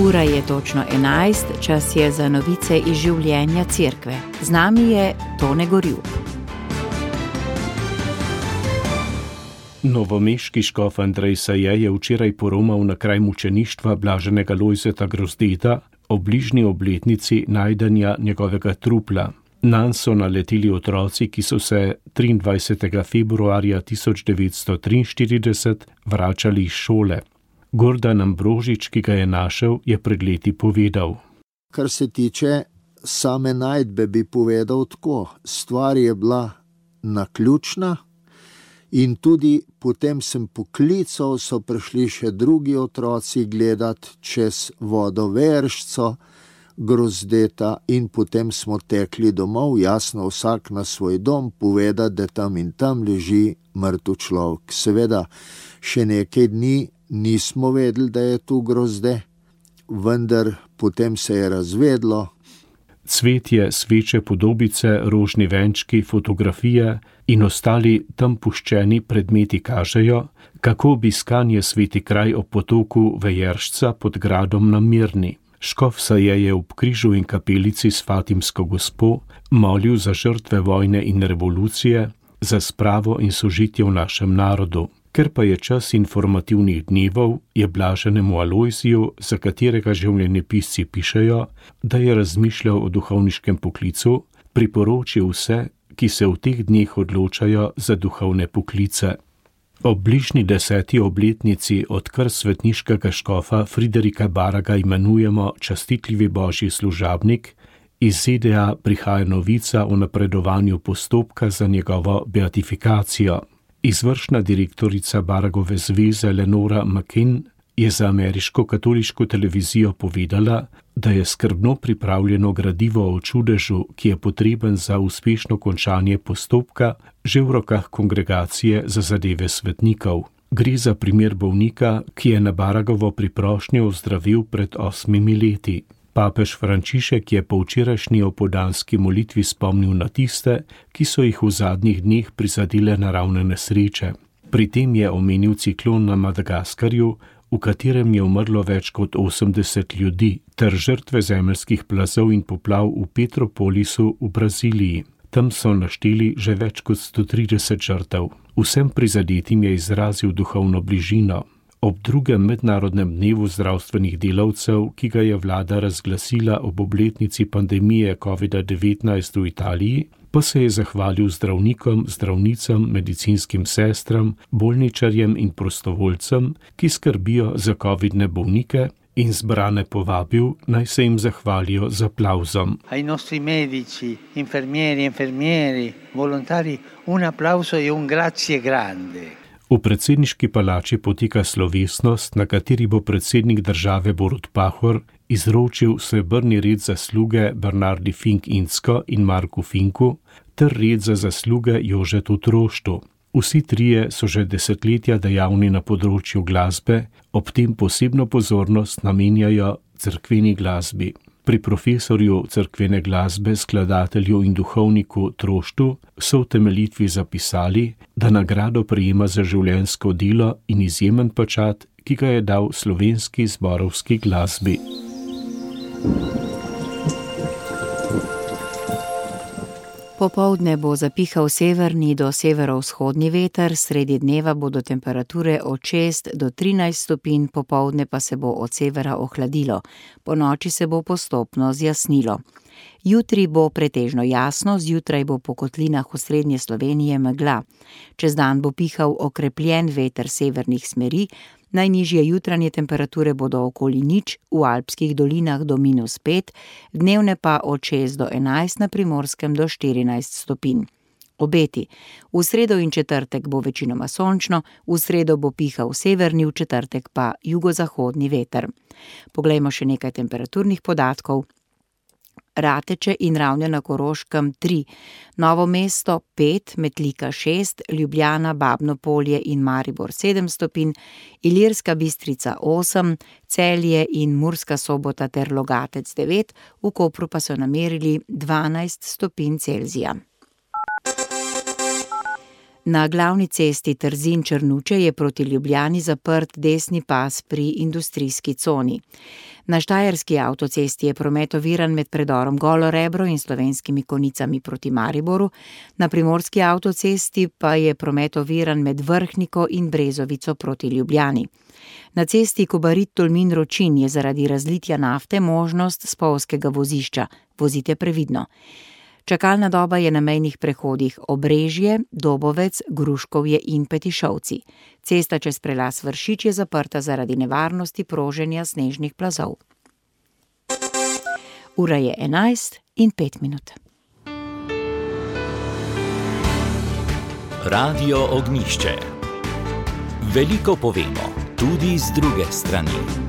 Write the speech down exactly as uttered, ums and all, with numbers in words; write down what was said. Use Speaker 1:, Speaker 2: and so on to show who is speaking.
Speaker 1: Ura je točno enajst, čas je za novice iz življenja cerkve. Z nami je Tone Gorjup.
Speaker 2: Novomeški škof Andrej Saje je včeraj poromal na kraj mučeništva blaženega Lojzeta Grozdeta ob bližnji obletnici najdenja njegovega trupla. Nanj so naleteli otroci, ki so se triindvajsetega februarja tisoč devetsto triinštirideset vračali iz šole. Gordan Ambrožič, ki ga je našel, je pred leti povedal.
Speaker 3: Kar se tiče same najdbe, bi povedal tako. Stvar je bila naključna in tudi potem sem poklical, so prišli še drugi otroci gledati čez vodoveršco Grozdeta in potem smo tekli domov, jasno vsak na svoj dom, povedati, da tam in tam leži mrtev človek. Seveda, še nekaj dni nismo vedeli, da je tu Grozde, vendar potem se je razvedlo.
Speaker 2: Cvetje, sveče, podobice, rožni venčki, fotografije in ostali tam puščeni predmeti kažejo, kako obiskanje sveti kraj ob potoku Vejeršca pod gradom na Mirni. Škof Saje je ob križu in kapelici s Fatimsko gospo molil za žrtve vojne in revolucije, za spravo in sožitje v našem narodu. Ker pa je čas informativnih dnevov, je blaženemu Alojziju, za katerega življenjepisci pišejo, da je razmišljal o duhovniškem poklicu, priporočil vse, ki se v teh dneh odločajo za duhovne poklice. Ob bližnji deseti obletnici, odkar svetniškega škofa Friderika Baraga imenujemo častitljivi božji služabnik, iz Z D A prihaja novica o napredovanju postopka za njegovo beatifikacijo. Izvršna direktorica Baragove zveze Lenora McKinn je za ameriško katoliško televizijo povedala, da je skrbno pripravljeno gradivo o čudežu, ki je potreben za uspešno končanje postopka, že v rokah kongregacije za zadeve svetnikov. Gre za primer bolnika, ki je na Baragovo priprošnjo ozdravil pred osmimi leti. Papež Frančišek je po včerajšnji opoldanski molitvi spomnil na tiste, ki so jih v zadnjih dneh prizadele naravne nesreče. Pri tem je omenil ciklon na Madagaskarju, v katerem je umrlo več kot osemdeset ljudi, ter žrtve zemeljskih plazov in poplav v Petropolisu v Braziliji. Tam so našteli že več kot sto trideset žrtev. Vsem prizadetim je izrazil duhovno bližino. Ob drugem mednarodnem dnevu zdravstvenih delavcev, ki ga je vlada razglasila ob obletnici pandemije covid devetnajst v Italiji, pa se je zahvalil zdravnikom, zdravnicam, medicinskim sestram, bolničarjem in prostovoljcem, ki skrbijo za covidne bolnike, in zbrane povabil, naj se jim zahvalijo z aplavzom.
Speaker 4: Ai nostri medici, infermieri, infermieri, volontari, un applauso e un grazie grande.
Speaker 2: V predsedniški palači poteka slovesnost, na kateri bo predsednik države Borut Pahor izročil srebrni red zasluge Bernardi Fink Insko in Marku Finku ter red za zasluge Jožetu Troštu. Vsi trije so že desetletja dejavni na področju glasbe, ob tem posebno pozornost namenjajo cerkveni glasbi. Pri profesorju cerkvene glasbe, skladatelju in duhovniku Troštu so v temeljitvi zapisali, da nagrado prejema za življenjsko delo in izjemen pečat, ki ga je dal slovenski zborovski glasbi.
Speaker 1: Popoldne bo zapihal severni do severovzhodni veter, sredi dneva bodo temperature od šest do trinajst stopinj, popoldne pa se bo od severa ohladilo. Ponoči se bo postopno zjasnilo. Jutri bo pretežno jasno, zjutraj bo po kotlinah v srednje Slovenije megla. Čez dan bo pihal okrepljen veter severnih smeri, najnižje jutranje temperature bodo okoli nič, v alpskih dolinah do minus pet, dnevne pa od šest do enajst, na Primorskem do štirinajst stopinj. Obeti. V sredo in četrtek bo večinoma sončno, v sredo bo pihal severni, v četrtek pa jugozahodni veter. Poglejmo še nekaj temperaturnih podatkov. Rateče in Ravne na Koroškem tri, Novo mesto pet, Metlika šest, Ljubljana, Babno Polje in Maribor sedem stopinj, Ilirska Bistrica osem, Celje in Murska Sobota ter Logatec devet, v Kopru pa so namerili dvanajst stopinj Celzija. Na glavni cesti Trzin-Črnuče je proti Ljubljani zaprt desni pas pri industrijski coni. Na štajerski avtocesti je promet oviran med predorom Golo Rebro in Slovenskimi Konicami proti Mariboru, na primorski avtocesti pa je promet oviran med Vrhniko in Brezovico proti Ljubljani. Na cesti Kobarid-Tolmin-Ročin je zaradi razlitja nafte možnost spolzkega vozišča. Vozite previdno. Čakalna doba je na mejnih prehodih Obrežje, Dobovec, Gruškovje in Petišovci. Cesta čez prelaz Vršič je zaprta zaradi nevarnosti proženja snežnih plazov. Ura je enajst in pet minut.
Speaker 5: Radio Ognjišče. Veliko povemo, tudi z druge strani.